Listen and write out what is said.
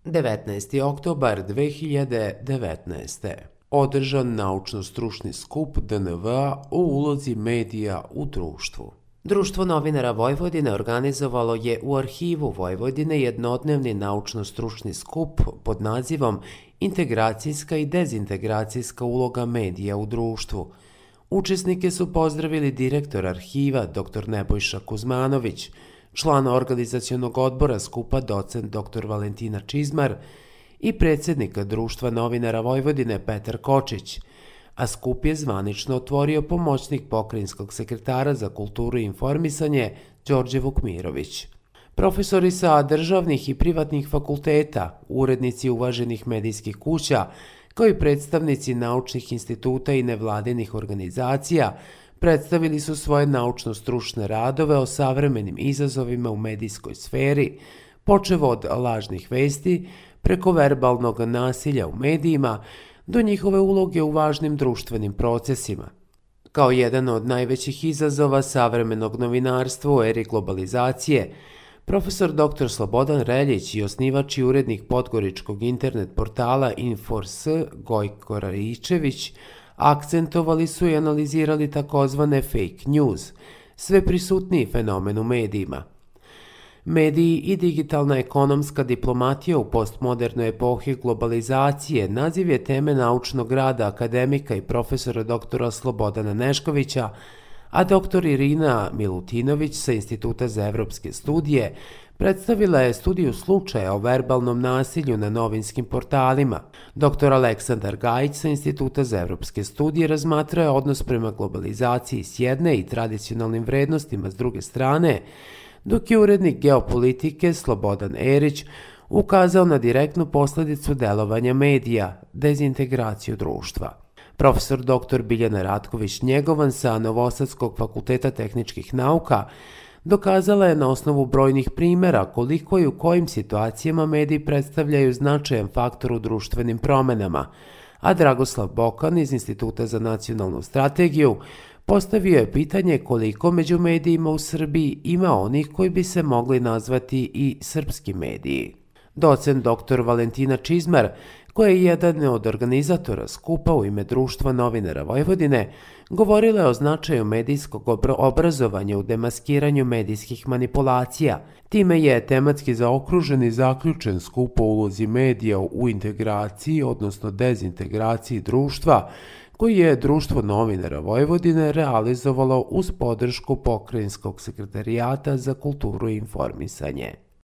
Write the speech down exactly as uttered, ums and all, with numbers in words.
devetnaesti oktobar dve hiljade devetnaeste. Održan naučno-stručni skup D N V-a o ulozi medija u društvu. Društvo novinara Vojvodine organizovalo je u Arhivu Vojvodine jednodnevni naučno-stručni skup pod nazivom Integracijska i dezintegracijska uloga medija u društvu. Učesnike su pozdravili direktor arhiva dr Nebojša Kuzmanović, član organizacionog odbora skupa docent dr Valentina Čizmar i predsjednika Društva novinara Vojvodine Petar Kočić, a skup je zvanično otvorio pomoćnik pokrajinskog sekretara za kulturu i informisanje Đorđe Vukmirović. Profesori sa državnih i privatnih fakulteta, urednici uvaženih medijskih kuća, kao i predstavnici naučnih instituta i nevladinih organizacija, predstavili su svoje naučno-stručne radove o savremenim izazovima u medijskoj sferi, počev od lažnih vesti, preko verbalnog nasilja u medijima, do njihove uloge u važnim društvenim procesima. Kao jedan od najvećih izazova savremenog novinarstva u eri globalizacije, profesor dr Slobodan Reljić i osnivač i urednik podgoričkog internet portala Infors Gojko Raičević akcentovali su i analizirali takozvane fake news, sve prisutniji fenomen u medijima. Mediji i digitalna ekonomska diplomatija u postmodernoj epohi globalizacije naziv je teme naučnog rada akademika i profesora doktora Slobodana Neškovića, a doktor Irina Milutinović sa Instituta za evropske studije predstavila je studiju slučaja o verbalnom nasilju na novinskim portalima. doktor Aleksandar Gajić sa Instituta za evropske studije razmatrao je odnos prema globalizaciji s jedne i tradicionalnim vrednostima s druge strane, dok je urednik geopolitike Slobodan Erić ukazao na direktnu posljedicu delovanja medija, dezintegraciju društva. Profesor dr Biljana Ratković-Njegovan sa Novosadskog fakulteta tehničkih nauka dokazala je na osnovu brojnih primjera koliko i u kojim situacijama mediji predstavljaju značajan faktor u društvenim promenama, a Dragoslav Bokan iz Instituta za nacionalnu strategiju postavio je pitanje koliko među medijima u Srbiji ima onih koji bi se mogli nazvati i srpski mediji. Docent dr Valentina Čizmar, koja je jedan od organizatora skupa u ime Društva novinara Vojvodine, govorila je o značaju medijskog obrazovanja u demaskiranju medijskih manipulacija. Time je tematski zaokružen i zaključen skup o ulozi medija u integraciji, odnosno dezintegraciji društva, koji je Društvo novinara Vojvodine realizovalo uz podršku Pokrajinskog sekretarijata za kulturu i informisanje.